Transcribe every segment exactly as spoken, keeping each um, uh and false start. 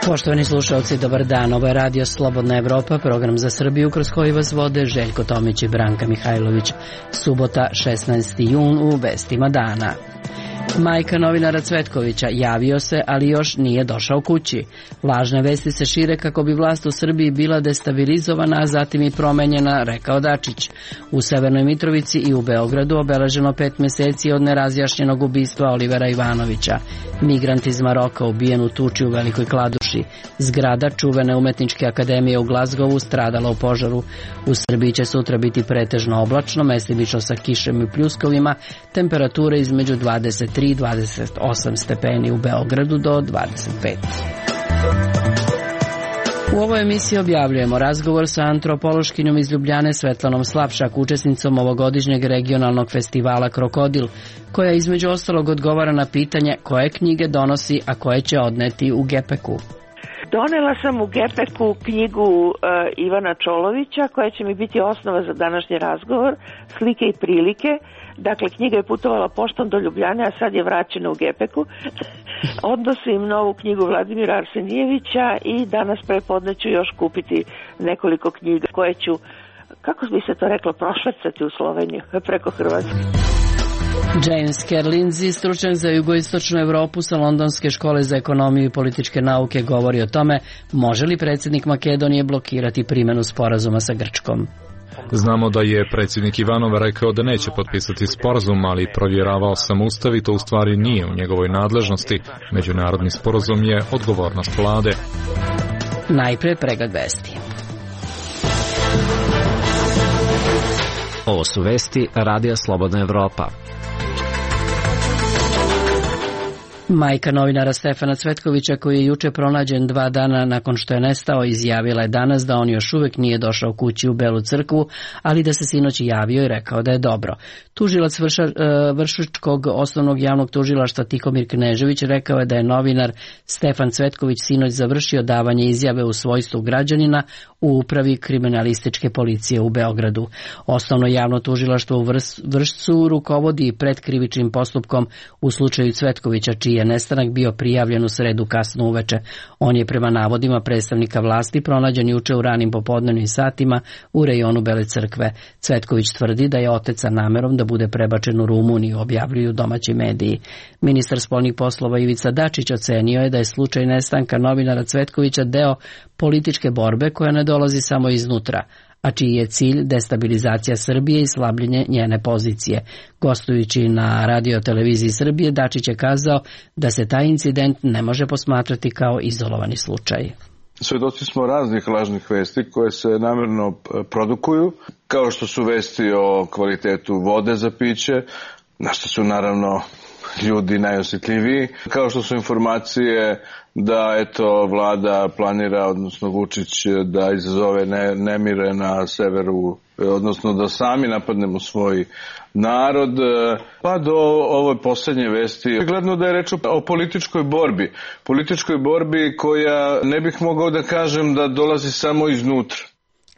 Poštovani slušalci, dobar dan. Ovo je Radio Slobodna Evropa, program za Srbiju kroz koji vas vode Željko Tomić i Branka Mihajlović. Subota, šesnaesti jun, u vestima dana. Majka novinara Cvetkovića javio se, ali još nije došao kući. Lažne vesti se šire kako bi vlast u Srbiji bila destabilizovana, a zatim i promenjena, rekao Dačić. U Severnoj Mitrovici i u Beogradu obeleženo pet meseci od nerazjašnjenog ubistva Olivera Ivanovića. Migrant iz Maroka ubijen u tuči u Velikoj Kladuši. Zgrada čuvene umetničke akademije u Glazgovu stradala u požaru. U Srbiji će sutra biti pretežno oblačno, mestimično sa kišem i pljuskovima, temperature između dvadeset tri i dvadeset osam stepeni, u Beogradu do dvadeset pet. U ovoj emisiji objavljujemo razgovor sa antropološkinjom iz Ljubljane Svetlanom Slapšak, učesnicom ovogodišnjeg regionalnog festivala Krokodil, koja između ostalog odgovara na pitanje koje knjige donosi, a koje će odneti u Gepeku. Donela sam u Gepeku knjigu uh, Ivana Čolovića, koja će mi biti osnova za današnji razgovor, Slike i prilike. Dakle, knjiga je putovala poštom do Ljubljane, a sad je vraćena u Gepeku. Odnosim novu knjigu Vladimira Arsenijevića i danas prepodne ću još kupiti nekoliko knjiga koje ću, kako bi se to reklo, prošvercati u Sloveniju preko Hrvatske. James Kerlinzi, stručnjak za jugoistočnu Evropu sa Londonske škole za ekonomiju i političke nauke, govori o tome može li predsjednik Makedonije blokirati primjenu sporazuma sa Grčkom. Znamo da je predsjednik Ivanov rekao da neće potpisati sporazum, ali provjeravao sam ustav i to u stvari nije u njegovoj nadležnosti. Međunarodni sporazum je odgovornost vlade. Najpre pregled vesti. Ovo su vesti Radija Slobodna Evropa. Majka novinara Stefana Cvetkovića, koji je juče pronađen dva dana nakon što je nestao, izjavila je danas da on još uvijek nije došao kući u Belu crkvu, ali da se sinoć javio i rekao da je dobro. Tužilac vrša, Vršačkog osnovnog javnog tužilaštva Tihomir Knežević rekao je da je novinar Stefan Cvetković sinoć završio davanje izjave u svojstvu građanina u upravi kriminalističke policije u Beogradu. Osnovno javno tužilaštvo u Vršcu rukovodi predkrivičnim postupkom u slučaju Cvetkovića, čiji je nestanak bio prijavljen u sredu kasno uveče. On je prema navodima predstavnika vlasti pronađen juče u ranim popodnevnim satima u rejonu Bele crkve. Cvetković tvrdi da je otec sa namerom da bude prebačen u Rumuniju, objavljuju domaći mediji. Ministar spoljnih poslova Ivica Dačić ocenio je da je slučaj nestanka novinara Cvetkovića deo političke borbe koja ne dolazi samo iznutra, a čiji je cilj destabilizacija Srbije i slabljenje njene pozicije. Gostujući na Radio televiziji Srbije, Dačić je kazao da se taj incident ne može posmatrati kao izolovani slučaj. Svedoci smo raznih lažnih vesti koje se namjerno produkuju, kao što su vesti o kvalitetu vode za piće, na što su naravno ljudi najosjetljiviji, kao što su informacije da eto vlada planira, odnosno Vučić, da izazove ne, nemire na severu, odnosno da sami napadnemo svoj narod, pa do ove posljednje vesti. Gledno da je reč o političkoj borbi, političkoj borbi koja ne bih mogao da kažem da dolazi samo iznutra,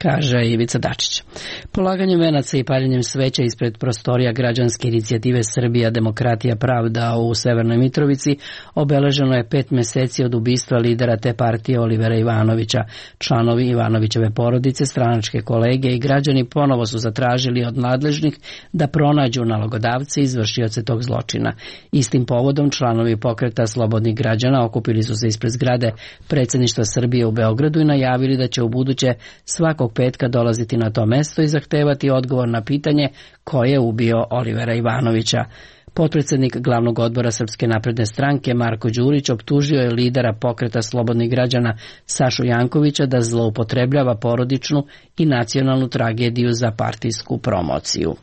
kaže Ivica Dačić. Polaganjem venaca i paljenjem sveća ispred prostorija građanske inicijative Srbija, demokratija, pravda u Severnoj Mitrovici obeleženo je pet meseci od ubistva lidera te partije Olivera Ivanovića. Članovi Ivanovićeve porodice, stranačke kolege i građani ponovo su zatražili od nadležnih da pronađu nalogodavce i izvršioce tog zločina. Istim povodom članovi pokreta slobodnih građana okupili su se ispred zgrade predsjedništva Srbije u Beogradu i najavili da će u buduće svakog petka dolaziti na to mesto i zahtevati odgovor na pitanje ko je ubio Olivera Ivanovića. Potpredsjednik glavnog odbora Srpske napredne stranke Marko Đurić optužio je lidera pokreta slobodnih građana Sašu Jankovića da zloupotrebljava porodičnu i nacionalnu tragediju za partijsku promociju.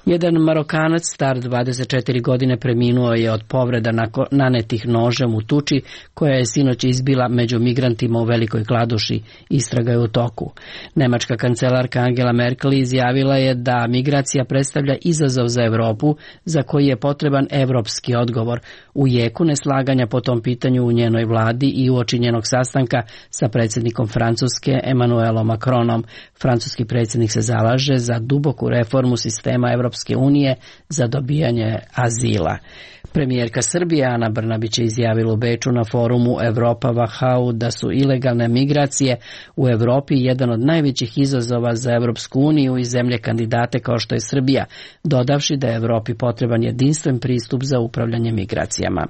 Jedan Marokanac star dvadeset četiri godine preminuo je od povreda nanetih nožem u tuči koja je sinoć izbila među migrantima u Velikoj Kladuši. Istraga je u toku. Nemačka kancelarka Angela Merkel izjavila je da migracija predstavlja izazov za Evropu za koji je potreban evropski odgovor. U jeku neslaganja po tom pitanju u njenoj vladi i uoči njenog sastanka sa predsjednikom Francuske Emmanuelom Macronom. Francuski predsjednik se zalaže za duboku reformu sistema Evropske unije za dobijanje azila. Premijerka Srbije Ana Brnabić je izjavila u Beču na forumu Evropa Vahau da su ilegalne migracije u Evropi jedan od najvećih izazova za Evropsku uniju i zemlje kandidate kao što je Srbija, dodavši da je Evropi potreban jedinstven pristup za upravljanje migracijama.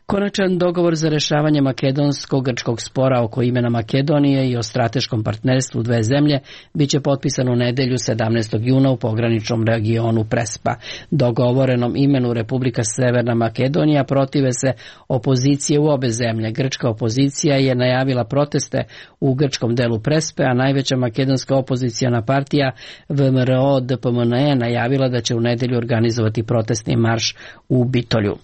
Konačan dogovor za rešavanje makedonsko-grčkog spora oko imena Makedonije i o strateškom partnerstvu dve zemlje biće potpisan u nedelju sedamnaestog juna u pograničnom regionu Prespa. Dogovorenom imenu Republika Severna Makedonija protive se opozicije u obe zemlje. Grčka opozicija je najavila proteste u grčkom delu Prespe, a najveća makedonska opozicijana partija V M R O D P M N je najavila da će u nedelju organizovati protestni marš u Bitolju.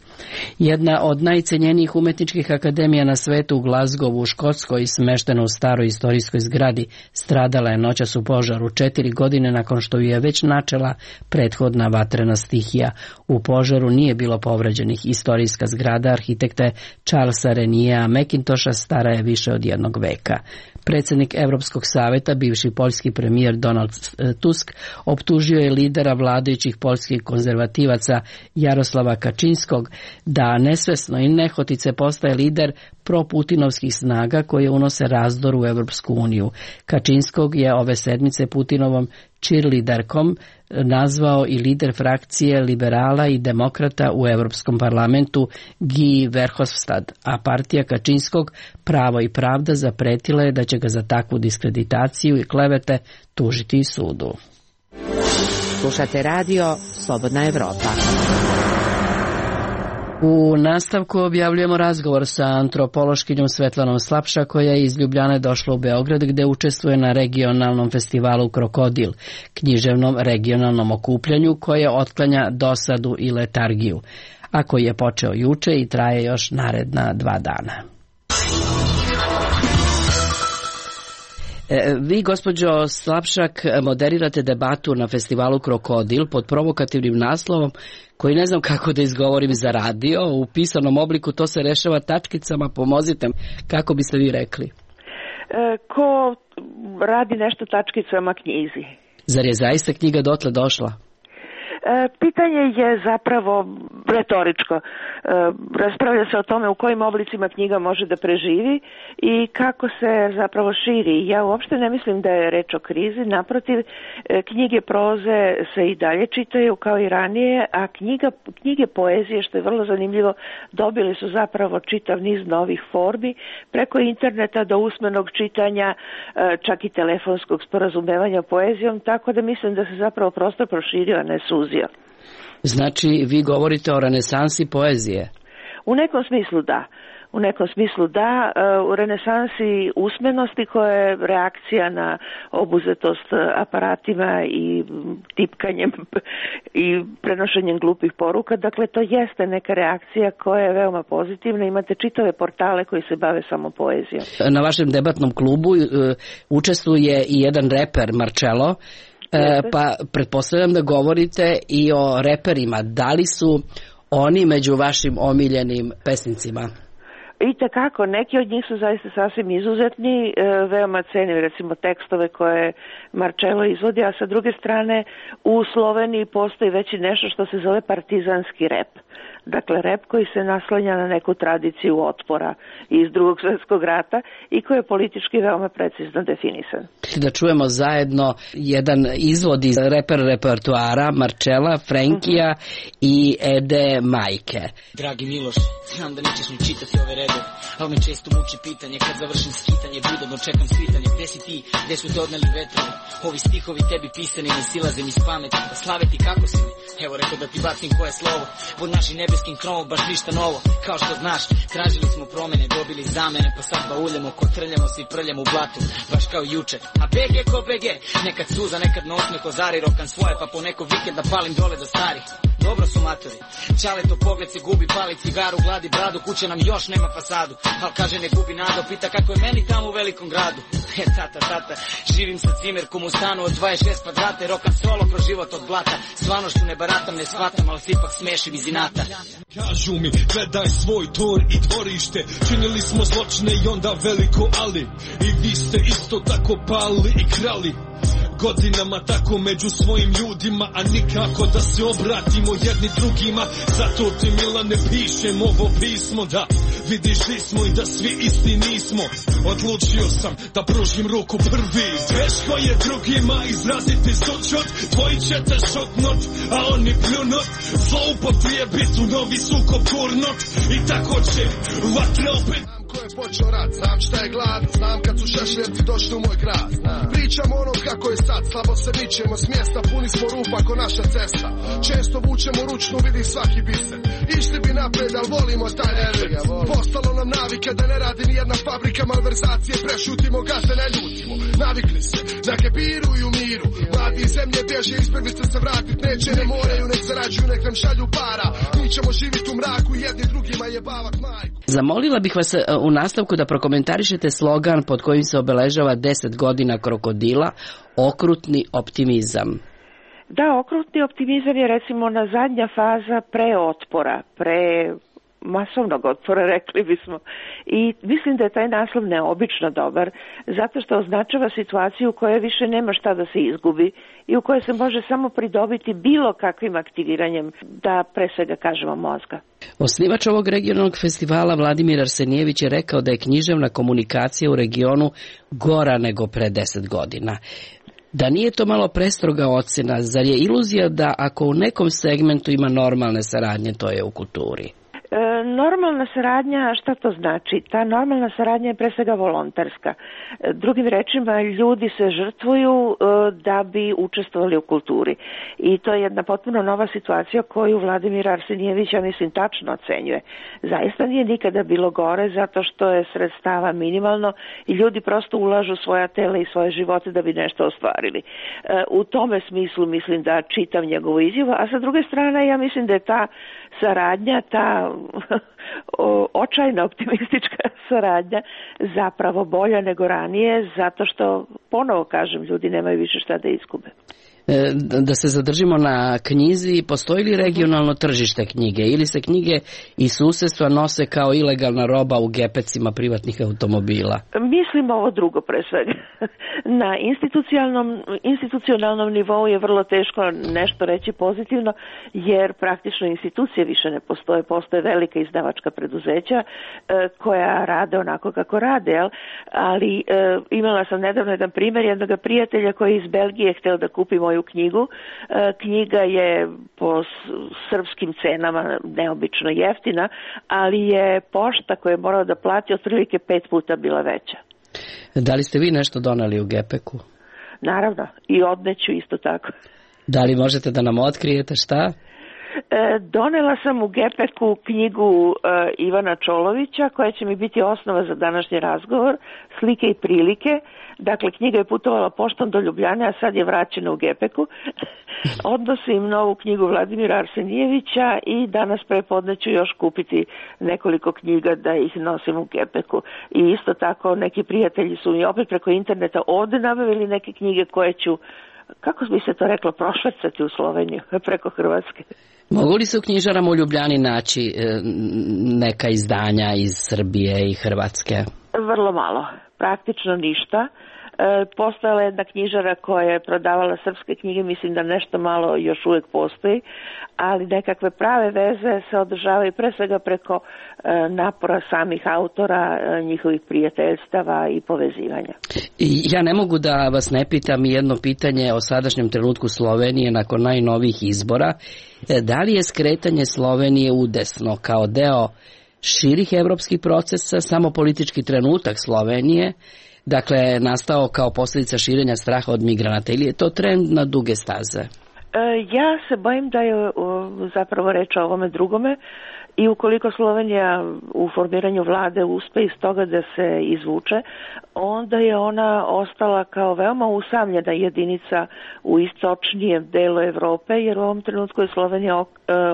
Jedna od najcenjenijih umetničkih akademija na svetu u Glazgovu u Škotskoj, smeštena u staroj istorijskoj zgradi, stradala je noćas u požaru četiri godine nakon što ju je već načela prethodna vatrena stihija. U požaru nije bilo povređenih. Istorijska zgrada arhitekte Charlesa Renija Macintosha stara je više od jednog veka. Predsjednik Evropskog saveta, bivši poljski premijer Donald Tusk, optužio je lidera vladajućih poljskih konzervativaca Jaroslava Kačinskog da nesvesno i nehotice postaje lider proputinovskih snaga koje unose razdor u Evropsku uniju. Kačinskog je ove sedmice Putinovom cheerleaderkom nazvao i lider frakcije liberala i demokrata u Evropskom parlamentu Guy Verhofstadt, a partija Kačinskog Pravo i pravda zapretila je da će ga za takvu diskreditaciju i klevete tužiti i sudu. Slušate radio Slobodna Evropa. U nastavku objavljujemo razgovor sa antropološkinjom Svetlanom Slapša, koja je iz Ljubljane došla u Beograd gde učestvuje na regionalnom festivalu Krokodil, književnom regionalnom okupljanju koje otklanja dosadu i letargiju, a koji je počeo juče i traje još naredna dva dana. Vi, gospođo Slapšak, moderirate debatu na festivalu Krokodil pod provokativnim naslovom koji ne znam kako da izgovorim za radio. U pisanom obliku to se rešava tačkicama, pomozite, kako biste vi rekli? E, ko radi nešto tačkicama knjizi. Zar je zaista knjiga dotle došla? Pitanje je zapravo retoričko. Raspravlja se o tome u kojim oblicima knjiga može da preživi i kako se zapravo širi. Ja uopšte ne mislim da je reč o krizi, naprotiv, knjige proze se i dalje čitaju kao i ranije, a knjiga, knjige poezije, što je vrlo zanimljivo, dobili su zapravo čitav niz novih formi, preko interneta do usmenog čitanja, čak i telefonskog sporazumevanja poezijom, tako da mislim da se zapravo prostor proširio, a ne suzio. Znači, vi govorite o renesansi poezije? U nekom smislu da. U nekom smislu da. U renesansi usmenosti koja je reakcija na obuzetost aparatima i tipkanjem i prenošenjem glupih poruka. Dakle, to jeste neka reakcija koja je veoma pozitivna. Imate čitave portale koji se bave samo poezijom. Na vašem debatnom klubu učestvuje i jedan reper, Marcello. E, pa pretpostavljam da govorite i o reperima. Da li su oni među vašim omiljenim pesnicima? I tekako, neki od njih su zaista sasvim izuzetni, e, veoma cenim recimo tekstove koje Marcello izvodi, a sa druge strane u Sloveniji postoji već i nešto što se zove partizanski rep. Dakle, rep koji se naslanja na neku tradiciju otpora iz Drugog svjetskog rata i koji je politički veoma precizno definisan. Da čujemo zajedno jedan izvod iz reper repertoara Marcella, Frenkija uh-huh. i Ede Majke. Dragi Miloš, znam da nećeš mi čitati ove redove, ali me često muči pitanje kad završim skitanje, budobno čekam svitanje. Gde si ti, gde su te odneli vetrovi? Ovi stihovi tebi pisani ne silaze mi s pameti. Da slave ti kako si mi? Evo rekao da ti bacim koje slovo. Pod našim nebeskim krovom baš ništa novo. Kao što znaš, tražili smo promene, dobili zamene, pa sad bauljamo, kotrljamo se i prljamo u blatu. Baš kao juče. A B G ko B G, nekad suza, nekad na osmeh ozari, rokam svoje, pa po neko vikenda palim dole do starih. Dobro su matori, čale to pogled se gubi, pali cigaru, gladi bradu, kuće nam još nema fasadu. Al kaže ne gubi nado, pita kako je meni tamo u velikom gradu. E tata, tata, živim sa cimerkom u stanu od dvadeset šest kvadrata, rokam solo kroz život od blata. Stvarnošću ne baratam, ne shvatam, ali se ipak smešim iz inata. Kažu mi, gledaj svoj tor i dvorište, činili smo zločine i onda veliko ali. I vi ste isto tako pali i krali. godinama tako među svojim ljudima, a nikako da se obratimo jedni drugima. Zato ti Milane pišem ovo pismo, da vidiš li smo i da svi isti nismo. Odlučio sam da pružim ruku prvi. Teško je drugima izraziti sućut, tvoji će te šutnut, a oni pljunut. Zloupotrijebit u novi sukob gurnut, i tako će vatra opet. Ko je počeo rat, znam šta je glad, znam kad su šešljevci došli u moj grad. Pričamo ono kako je sad, slabo se mičemo s mjesta, puni smo rupa ko naša cesta. Često vučemo ručnu, vidi svaki biser. Išli bi napred, al volimo taj nervir. Postalo nam navike da ne radi ni jedna fabrika, malverzacije prešutimo, gaze ne ljutimo. Navikli se, na kebiru i u miru. Mladi iz zemlje bježe, izbjeglice se vratit neće, ne moraju, nek zarađuju, nek nam šalju para. Mi ćemo živjeti u mraku, jedni drugima jebavat majku. Zamolila bih vas u nastavku da prokomentarišete slogan pod kojim se obeležava deset godina krokodila, okrutni optimizam. Da, okrutni optimizam je recimo na zadnja faza preotpora, pre masovnog otpora, rekli bismo. I mislim da je taj naslov neobično dobar, zato što označava situaciju u kojoj više nema šta da se izgubi i u kojoj se može samo pridobiti bilo kakvim aktiviranjem, da pre svega kažemo, mozga. Osnivač ovog regionalnog festivala Vladimir Arsenijević je rekao da je književna komunikacija u regionu gora nego pre deset godina. Da nije to malo prestroga ocena, zar je iluzija da ako u nekom segmentu ima normalne saradnje, to je u kulturi? E, normalna saradnja, šta to znači? Ta normalna saradnja je pre svega volonterska. E, drugim rečima, ljudi se žrtvuju e, da bi učestvovali u kulturi. I to je jedna potpuno nova situacija koju Vladimir Arsenijević, ja mislim, tačno ocenjuje. Zaista nije nikada bilo gore, zato što je sredstava minimalno i ljudi prosto ulažu svoja tela i svoje živote da bi nešto ostvarili. E, u tome smislu mislim da čitam njegovu izjavu, a sa druge strane ja mislim da je ta saradnja, ta očajna optimistička saradnja zapravo bolja nego ranije, zato što, ponovo kažem, ljudi nemaju više šta da izgube. Da se zadržimo na knjizi, postoji li regionalno tržište knjige ili se knjige i susedstva nose kao ilegalna roba u gepecima privatnih automobila? Mislim ovo drugo pre svega. Na institucionalnom, institucionalnom nivou je vrlo teško nešto reći pozitivno, jer praktično institucije više ne postoje. Postoje velika izdavačka preduzeća e, koja rade onako kako rade, jel? Ali e, imala sam nedavno jedan primjer jednog prijatelja koji iz Belgije hteo da kupi moju knjigu. E, knjiga je po srpskim cenama neobično jeftina, ali je pošta koju je morao da plati otprilike pet puta bila veća. Da li ste vi nešto doneli u gepeku? Naravno, i odneću isto tako. Da li možete da nam otkrijete šta? E, donela sam u gepeku knjigu e, Ivana Čolovića, koja će mi biti osnova za današnji razgovor, Slike i prilike. Dakle, knjiga je putovala poštom do Ljubljane, a sad je vraćena u gepeku. Odnosim novu knjigu Vladimira Arsenijevića i danas prepodne ću još kupiti nekoliko knjiga da ih nosim u gepeku. I isto tako neki prijatelji su mi opet preko interneta ovde nabavili neke knjige koje ću, kako bi se to reklo, prošvercati u Sloveniju preko Hrvatske. Mogu li se u knjižarama u Ljubljani naći neka izdanja iz Srbije i Hrvatske? Vrlo malo, praktično ništa. E, postojala je jedna knjižara koja je prodavala srpske knjige, mislim da nešto malo još uvijek postoji, ali nekakve prave veze se održavaju pre svega preko e, napora samih autora, e, njihovih prijateljstava i povezivanja. Ja ne mogu da vas ne pitam jedno pitanje o sadašnjem trenutku Slovenije nakon najnovijih izbora. Da li je skretanje Slovenije udesno kao deo širih evropskih procesa, samo politički trenutak Slovenije, dakle, nastao kao posljedica širenja straha od migranata, ili je to trend na duge staze? Ja se bojim da je zapravo reč o ovome drugome i ukoliko Slovenija u formiranju vlade uspe iz toga da se izvuče, onda je ona ostala kao veoma usamljena jedinica u istočnijem delu Evrope, jer u ovom trenutku je Slovenija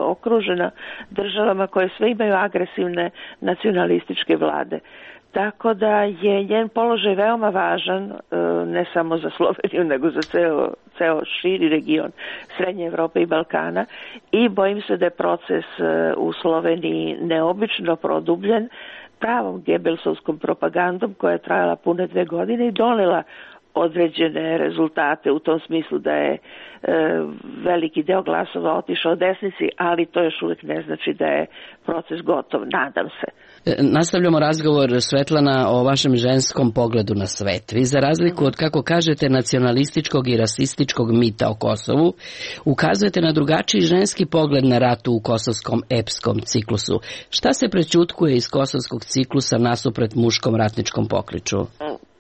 okružena državama koje sve imaju agresivne nacionalističke vlade. Tako da je njen položaj veoma važan, ne samo za Sloveniju, nego za ceo, ceo širi region Srednje Evrope i Balkana, i bojim se da je proces u Sloveniji neobično produbljen pravom gebelsovskom propagandom koja je trajala pune dve godine i donela određene rezultate u tom smislu da je veliki deo glasova otišao desnici, ali to još uvijek ne znači da je proces gotov, nadam se. Nastavljamo razgovor, Svetlana, o vašem ženskom pogledu na svet. Vi, za razliku od, kako kažete, nacionalističkog i rasističkog mita o Kosovu, ukazujete na drugačiji ženski pogled na ratu u kosovskom epskom ciklusu. Šta se prećutkuje iz kosovskog ciklusa nasuprot muškom ratničkom pokliču?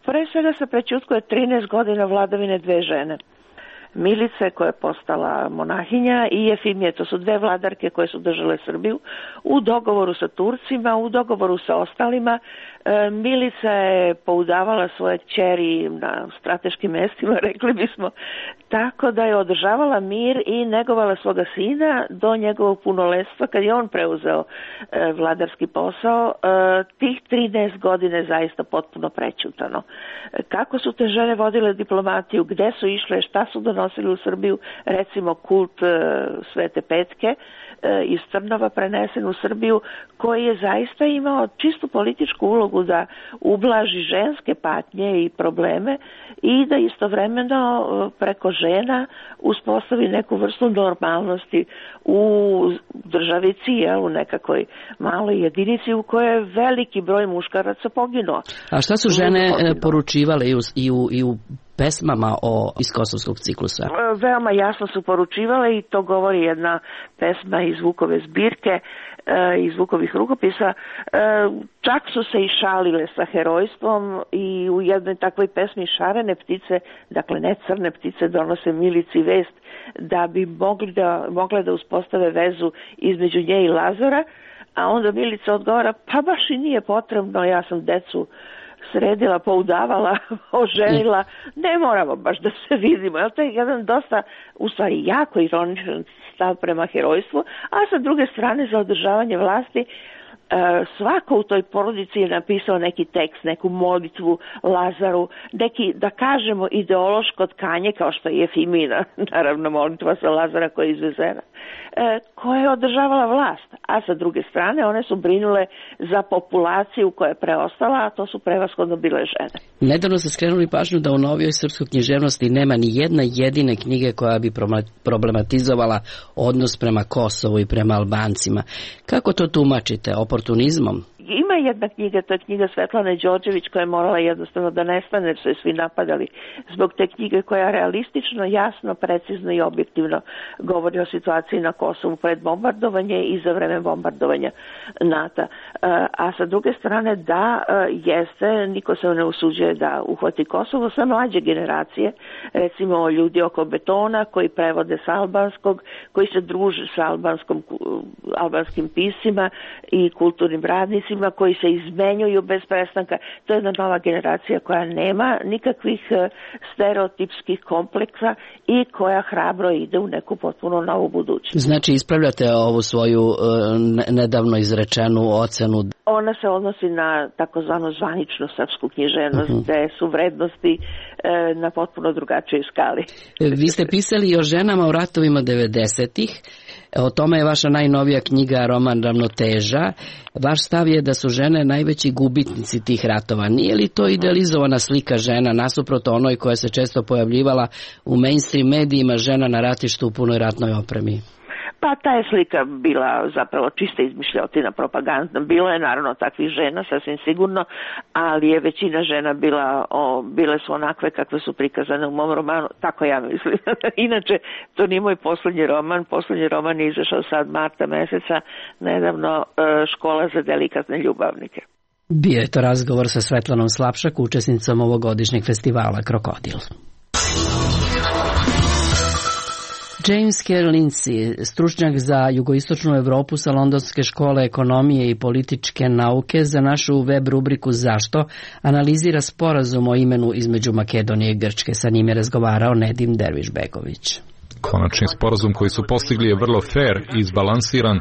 Pre svega se prećutkuje trinaest godina vladavine dve žene. Milice, koja je postala monahinja, i Jefimije, to su dve vladarke koje su držale Srbiju u dogovoru sa Turcima, u dogovoru sa ostalima. Milica je poudavala svoje kćeri na strateškim mestima, rekli bismo, tako da je održavala mir i negovala svoga sina do njegovog punoletstva, kad je on preuzeo vladarski posao. Tih trinaest godine je zaista potpuno prećutano. Kako su te žene vodile diplomatiju, gde su išle, šta su donosili u Srbiju, recimo kult Svete Petke iz Trnova prenesen u Srbiju, koji je zaista imao čistu političku ulogu da ublaži ženske patnje i probleme i da istovremeno preko žena uspostavi neku vrstu normalnosti u državici, jel, u nekakvoj maloj jedinici u kojoj je veliki broj muškaraca poginuo. A šta su žene poručivale i u, i u, i u pesmama o iz kosovskog ciklusa? Veoma jasno su poručivale i to govori jedna pesma iz Vukove zbirke, iz Vukovih rukopisa. Čak su se i šalile sa herojstvom i u jednoj takvoj pesmi šarene ptice, dakle ne crne ptice, donose Milici vest da bi mogli da, mogle da uspostave vezu između nje i Lazara, a onda Milica odgovara, pa baš i nije potrebno, ja sam decu sredila, poudavala, oženila, ne moramo baš da se vidimo. To je jedan dosta, u stvari, jako ironičan stav prema herojstvu, a sa druge strane za održavanje vlasti svako u toj porodici je napisao neki tekst, neku molitvu Lazaru, neki, da kažemo, ideološko tkanje, kao što je Jefimina, naravno molitva sa Lazara koja je izvezena, koja je održavala vlast, a sa druge strane one su brinule za populaciju koja je preostala, a to su prevashodno bile žene. Nedavno ste skrenuli pažnju da u novijoj srpskoj književnosti nema ni jedna jedine knjige koja bi problematizovala odnos prema Kosovu i prema Albancima. Kako to tumačite? Oportunizmom? Ima jedna knjiga, to je knjiga Svetlane Đorđević, koja je morala jednostavno da nestane, jer su je svi napadali zbog te knjige, koja realistično, jasno, precizno i objektivno govori o situaciji na Kosovu pred bombardovanje i za vreme bombardovanja NATO. A sa druge strane, da, jeste, niko se ne usuđuje da uhvati Kosovo, sve mlađe generacije, recimo ljudi oko Betona, koji prevode s albanskog, koji se druže sa albanskom, albanskim piscima i kulturnim radnicima, koji se izmenjuju bez prestanka. To je jedna nova generacija koja nema nikakvih stereotipskih kompleksa i koja hrabro ide u neku potpuno novu budućnost. Znači, ispravljate ovu svoju uh, nedavno izrečenu ocenu? Ona se odnosi na takozvanu zvaničnu srpsku književnost, uh-huh. gde su vrednosti uh, na potpuno drugačijoj skali. Vi ste pisali i o ženama u ratovima devedesetih. O tome je vaša najnovija knjiga, roman Ravnoteža. Vaš stav je da su žene najveći gubitnici tih ratova. Nije li to idealizovana slika žena nasuprot onoj koja se često pojavljivala u mainstream medijima, žena na ratištu u punoj ratnoj opremi? Pa ta je slika bila zapravo čista izmišljotina, propagandna. Bilo je naravno takvih žena, sasvim sigurno, ali je većina žena bila, o, bile su onakve kakve su prikazane u mom romanu, tako ja mislim. Inače, to nije moj poslednji roman, poslednji roman je izašao sad marta meseca, nedavno, Škola za delikatne ljubavnike. Bio je to razgovor sa Svetlanom Slapšak, učesnicom ovogodišnjeg festivala Krokodil. James K. Lindsay, stručnjak za jugoistočnu Evropu sa Londonske škole ekonomije i političke nauke, za našu web rubriku Zašto analizira sporazum o imenu između Makedonije i Grčke. Sa njim je razgovarao Nedim Dervišbegović. Konačni sporazum koji su postigli je vrlo fair i izbalansiran.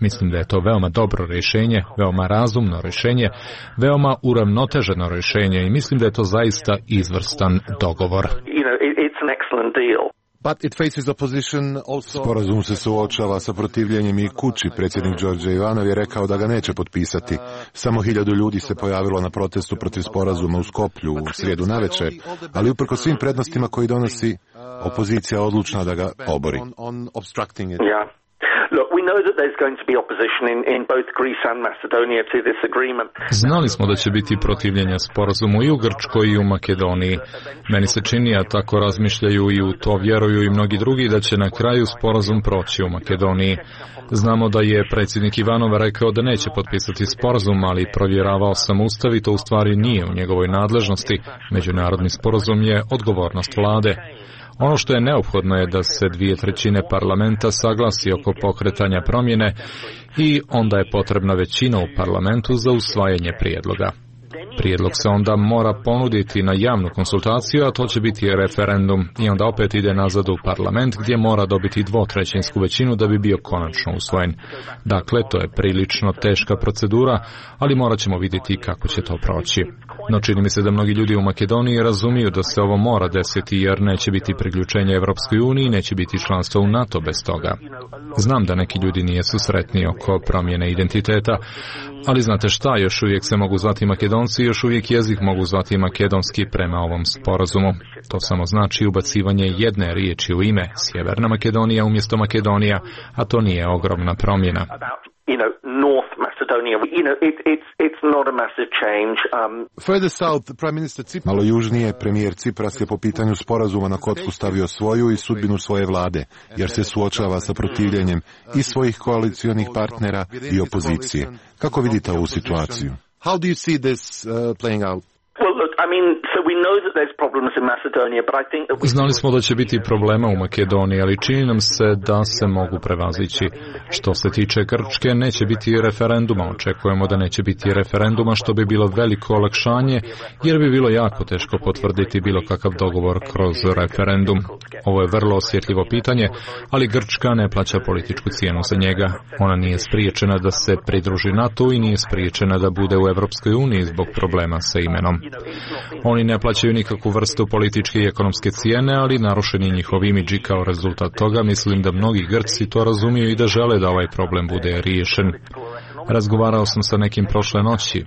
Mislim da je to veoma dobro rješenje, veoma razumno rješenje, veoma uravnoteženo rješenje i mislim da je to zaista izvrstan dogovor. You know, it's an excellent deal. Sporazum se suočava sa protivljenjem i kući. Predsjednik Đorđe Ivanov je rekao da ga neće potpisati. Samo hiljadu ljudi se pojavilo na protestu protiv sporazuma u Skoplju u srijedu navečer, ali uprkos svim prednostima koji donosi, opozicija je odlučna da ga obori. Znali smo da će biti protivljenja sporazumu i u Grčkoj i u Makedoniji. Meni se čini, a tako razmišljaju i u to vjeruju i mnogi drugi, da će na kraju sporazum proći u Makedoniji. Znamo da je predsjednik Ivanov rekao da neće potpisati sporazum, ali provjeravao sam Ustav i to u stvari nije u njegovoj nadležnosti. Međunarodni sporazum je odgovornost vlade. Ono što je neophodno je da se dvije trećine parlamenta saglasi oko pokretanja promjene i onda je potrebna većina u parlamentu za usvajanje prijedloga. Prijedlog se onda mora ponuditi na javnu konsultaciju, a to će biti referendum i onda opet ide nazad u parlament gdje mora dobiti dvotrećinsku većinu da bi bio konačno usvojen. Dakle, to je prilično teška procedura, ali morat ćemo vidjeti kako će to proći. No čini mi se da mnogi ljudi u Makedoniji razumiju da se ovo mora desiti jer neće biti priključenje Evropskoj uniji, neće biti članstvo u NATO bez toga. Znam da neki ljudi nijesu sretni oko promjene identiteta, ali znate šta, još uvijek se mogu zvati Makedonci, još uvijek jezik mogu zvati makedonski prema ovom sporazumu. To samo znači ubacivanje jedne riječi u ime, Sjeverna Makedonija umjesto Makedonija, a to nije ogromna promjena. Malo južnije, premijer Cipras je po pitanju sporazuma na kocku stavio svoju i sudbinu svoje vlade, jer se suočava sa protivljenjem i svojih koalicionih partnera i opozicije. Kako vidite ovu situaciju? How do you see this uh, playing out? Znali smo da će biti problema u Makedoniji, ali čini nam se da se mogu prevazići. Što se tiče Grčke, neće biti referenduma. Očekujemo da neće biti referenduma, što bi bilo veliko olakšanje, jer bi bilo jako teško potvrditi bilo kakav dogovor kroz referendum. Ovo je vrlo osjetljivo pitanje, ali Grčka ne plaća političku cijenu za njega. Ona nije spriječena da se pridruži NATO i nije spriječena da bude u Evropskoj uniji zbog problema sa imenom. Oni ne plaćaju nikakvu vrstu političke i ekonomske cijene, ali narušeni njihov imidž i kao rezultat toga mislim da mnogi Grci to razumiju i da žele da ovaj problem bude riješen. Razgovarao sam sa nekim prošle noći,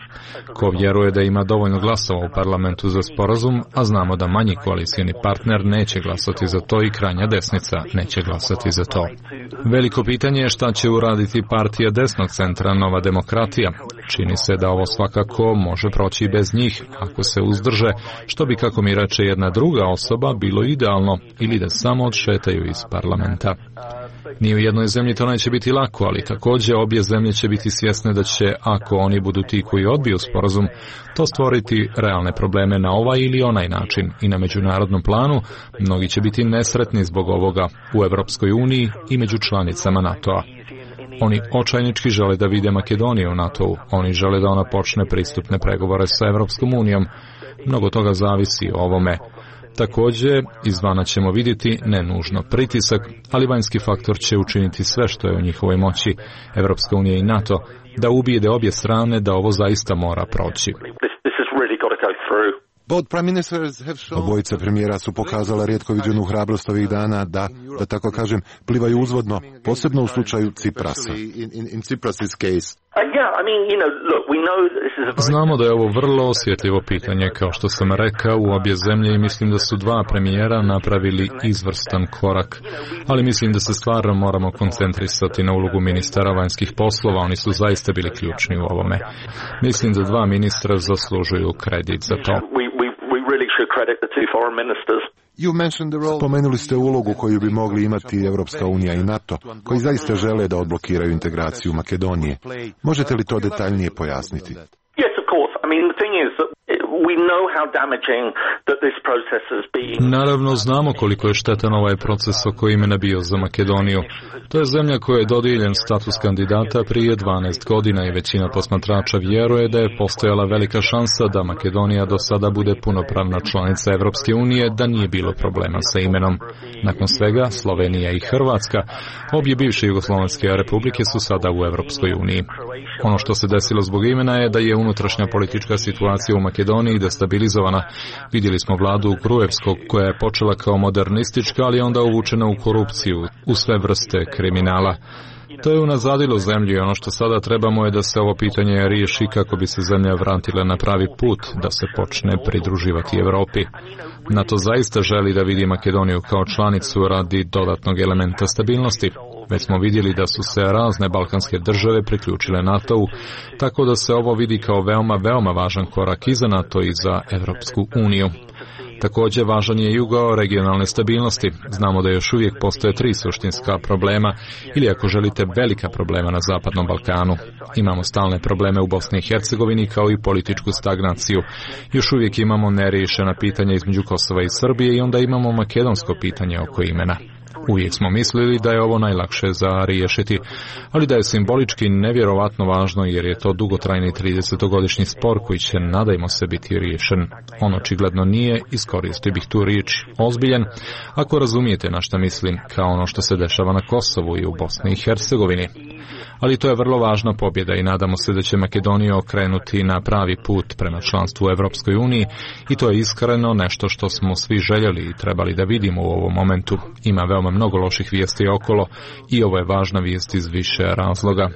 ko vjeruje da ima dovoljno glasova u parlamentu za sporazum, a znamo da manji koalicijni partner neće glasati za to i krajnja desnica neće glasati za to. Veliko pitanje je šta će uraditi partija desnog centra Nova demokratija. Čini se da ovo svakako može proći bez njih, ako se uzdrže, što bi, kako mi reče jedna druga osoba, bilo idealno, ili da samo odšetaju iz parlamenta. Ni u jednoj zemlji to neće biti lako, ali također obje zemlje će biti svjesne da će, ako oni budu ti koji odbiju sporazum, to stvoriti realne probleme na ovaj ili onaj način i na međunarodnom planu. Mnogi će biti nesretni zbog ovoga u Evropskoj uniji i među članicama NATO-a. Oni očajnički žele da vide Makedoniju u NATO-u. Oni žele da ona počne pristupne pregovore sa Evropskom unijom. Mnogo toga zavisi o ovome. Također, izvana ćemo vidjeti, ne nužno pritisak, ali vanjski faktor će učiniti sve što je u njihovoj moći, Evropska unija i NATO, da ubijede obje strane da ovo zaista mora proći. Obojica premijera su pokazala rijetko viđenu hrabrost ovih dana da, da tako kažem, plivaju uzvodno, posebno u slučaju Ciprasa. Znamo da je ovo vrlo osjetljivo pitanje, kao što sam rekao, u obje zemlje i mislim da su dva premijera napravili izvrstan korak, ali mislim da se stvarno moramo koncentrisati na ulogu ministara vanjskih poslova, oni su zaista bili ključni u ovome. Mislim da dva ministra zaslužuju kredit za to. Spomenuli ste ulogu koju bi mogli imati Evropska unija i NATO, koji zaista žele da odblokiraju integraciju Makedonije. Možete li to detaljnije pojasniti? Naravno, znamo koliko je štetan ovaj proces oko imena bio za Makedoniju. To je zemlja koja je dodijeljen status kandidata prije dvanaest godina i većina posmatrača vjeruje da je postojala velika šansa da Makedonija do sada bude punopravna članica Evropske unije, da nije bilo problema sa imenom. Nakon svega, Slovenija i Hrvatska, obje bivše jugoslavenske republike, su sada u Evropskoj uniji. Ono što se desilo zbog imena je da je unutrašnja politička situacija u Makedoniji destabilizovana. Vidjeli Vidjeli smo vladu Gruevskog koja je počela kao modernistička, ali onda uvučena u korupciju, u sve vrste kriminala. To je unazadilo zemlju i ono što sada trebamo je da se ovo pitanje riješi kako bi se zemlja vratila na pravi put, da se počne pridruživati Evropi. NATO zaista želi da vidi Makedoniju kao članicu radi dodatnog elementa stabilnosti. Već smo vidjeli da su se razne balkanske države priključile NATO-u, tako da se ovo vidi kao veoma, veoma važan korak i za NATO i za Evropsku uniju. Također važan je jugo regionalne stabilnosti. Znamo da još uvijek postoje tri suštinska problema ili ako želite velika problema na Zapadnom Balkanu. Imamo stalne probleme u Bosni i Hercegovini kao i političku stagnaciju. Još uvijek imamo neriješena pitanja između Kosova i Srbije i onda imamo makedonsko pitanje oko imena. Uvijek smo mislili da je ovo najlakše za riješiti, ali da je simbolički nevjerovatno važno jer je to dugotrajni tridesetogodišnji spor koji će, nadajmo se, biti riješen. On očigledno nije, iskoristio bih tu riječ, ozbiljan, ako razumijete na šta mislim, kao ono što se dešava na Kosovu i u Bosni i Hercegovini. Ali to je vrlo važna pobjeda i nadamo se da će Makedonija okrenuti na pravi put prema članstvu u Evropskoj uniji i to je iskreno nešto što smo svi željeli i trebali da vidimo u ovom momentu. Ima veoma mnogo loših vijesti okolo i ovo je važna vijest iz više razloga.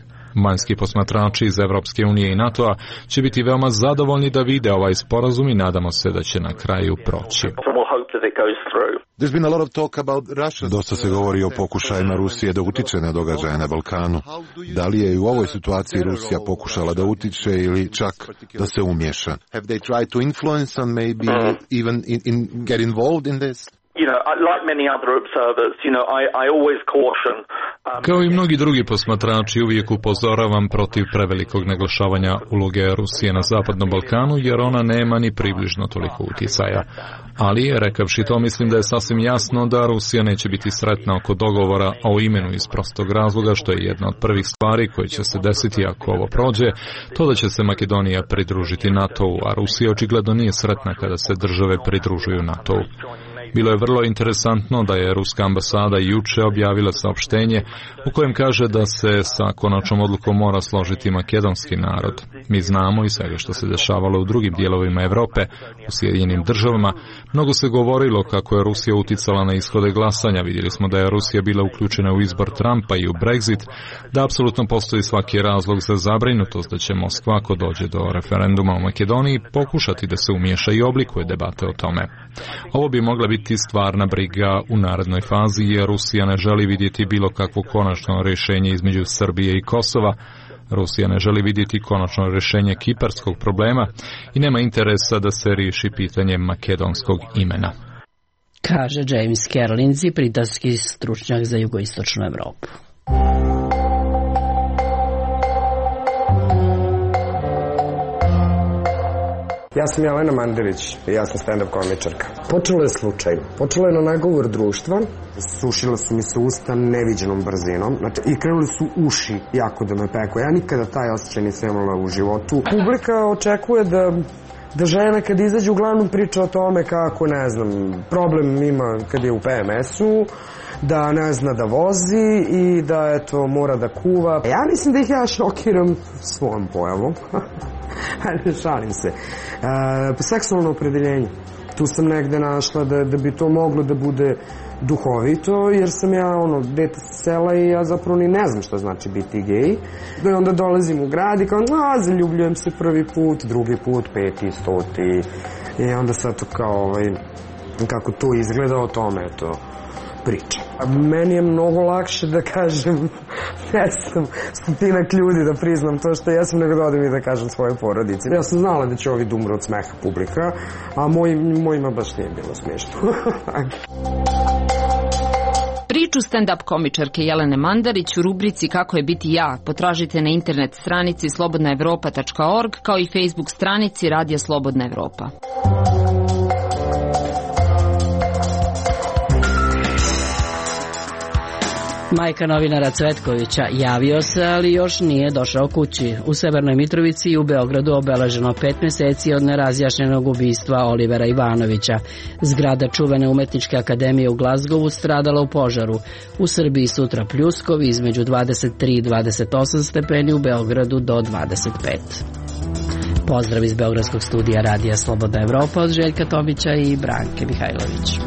Vanjski posmatrači iz Evropske unije i NATO-a će biti veoma zadovoljni da vide ovaj sporazum i nadamo se da će na kraju proći. Dosta se govori o pokušajima Rusije da utiče na događaje na Balkanu. Da li je u ovoj situaciji Rusija pokušala da utiče ili čak da se umješa? Kao i mnogi drugi posmatrači, uvijek upozoravam protiv prevelikog naglašavanja uloge Rusije na Zapadnom Balkanu, jer ona nema ni približno toliko utjecaja. Ali, rekavši to, mislim da je sasvim jasno da Rusija neće biti sretna oko dogovora o imenu iz prostog razloga, što je jedna od prvih stvari koje će se desiti ako ovo prođe, to da će se Makedonija pridružiti NATO-u, a Rusija očigledno nije sretna kada se države pridružuju NATO-u. Bilo je vrlo interesantno da je ruska ambasada juče objavila saopštenje u kojem kaže da se sa konačnom odlukom mora složiti makedonski narod. Mi znamo i svega što se dešavalo u drugim dijelovima Europe, u Sjedinjenim državama. Mnogo se govorilo kako je Rusija uticala na ishode glasanja. Vidjeli smo da je Rusija bila uključena u izbor Trumpa i u Brexit, da apsolutno postoji svaki razlog za zabrinutost da će Moskva, ako dođe do referenduma u Makedoniji, pokušati da se umiješa i oblikuje debate o tome. Ovo bi mogla biti stvarna briga u narednoj fazi, jer Rusija ne želi vidjeti bilo kakvo konačno rješenje između Srbije i Kosova. Rusija ne želi vidjeti konačno rješenje kiparskog problema i nema interesa da se riješi pitanje makedonskog imena. Kaže James Kerlinzi, britanski stručnjak za jugoistočnu Evropu. Ja sam Jelena Mandarić i ja sam stand-up komičarka. Počelo je slučajno. Počelo je na nagovor društva. Sušila su mi se usta neviđenom brzinom. Znači, i krenuli su uši jako da me peku. Ja nikada taj osjećaj nisam imala u životu. Publika očekuje da da žena kad izađe uglavnom priča o tome kako, ne znam, problem ima kad je u P M S-u, da ne zna da vozi i da, eto, mora da kuva. Ja mislim da ih ja šokiram svojom pojavom. Ajde, šalim se. E, seksualno opredeljenje. Tu sam negde našla da, da bi to moglo da bude duhovito, jer sam ja, ono, dete sa sela i ja zapravo ni ne znam šta znači biti gej. I onda dolazim u grad i kao, a, zaljubljujem se prvi put, drugi put, peti, stoti. I onda sad to kao, ovaj, kako to izgleda, o tome, eto, priča. Meni je mnogo lakše da kažem, ne znam, stotinak ljudi da priznam to što jesam, nego da odem i da kažem svoje porodici. Ja sam znala da će ovi da umru od smeha publika, a moj, mojima baš nije bilo smiješno. Priču stand-up komičarke Jelene Mandarić u rubrici Kako je biti ja potražite na internet stranici slobodna evropa tačka org kao i Facebook stranici Radija Slobodna Evropa. Majka novinara Cvetkovića javio se, ali još nije došao kući. U Severnoj Mitrovici i u Beogradu obeleženo pet mjeseci od nerazjašnjenog ubistva Olivera Ivanovića. Zgrada čuvene umetničke akademije u Glazgovu stradala u požaru. U Srbiji sutra pljuskovi između dvadeset tri i dvadeset osam stepeni, u Beogradu do dvadeset pet. Pozdrav iz Beogradskog studija Radija Slobodna Evropa od Željka Tomića i Branke Mihajlović.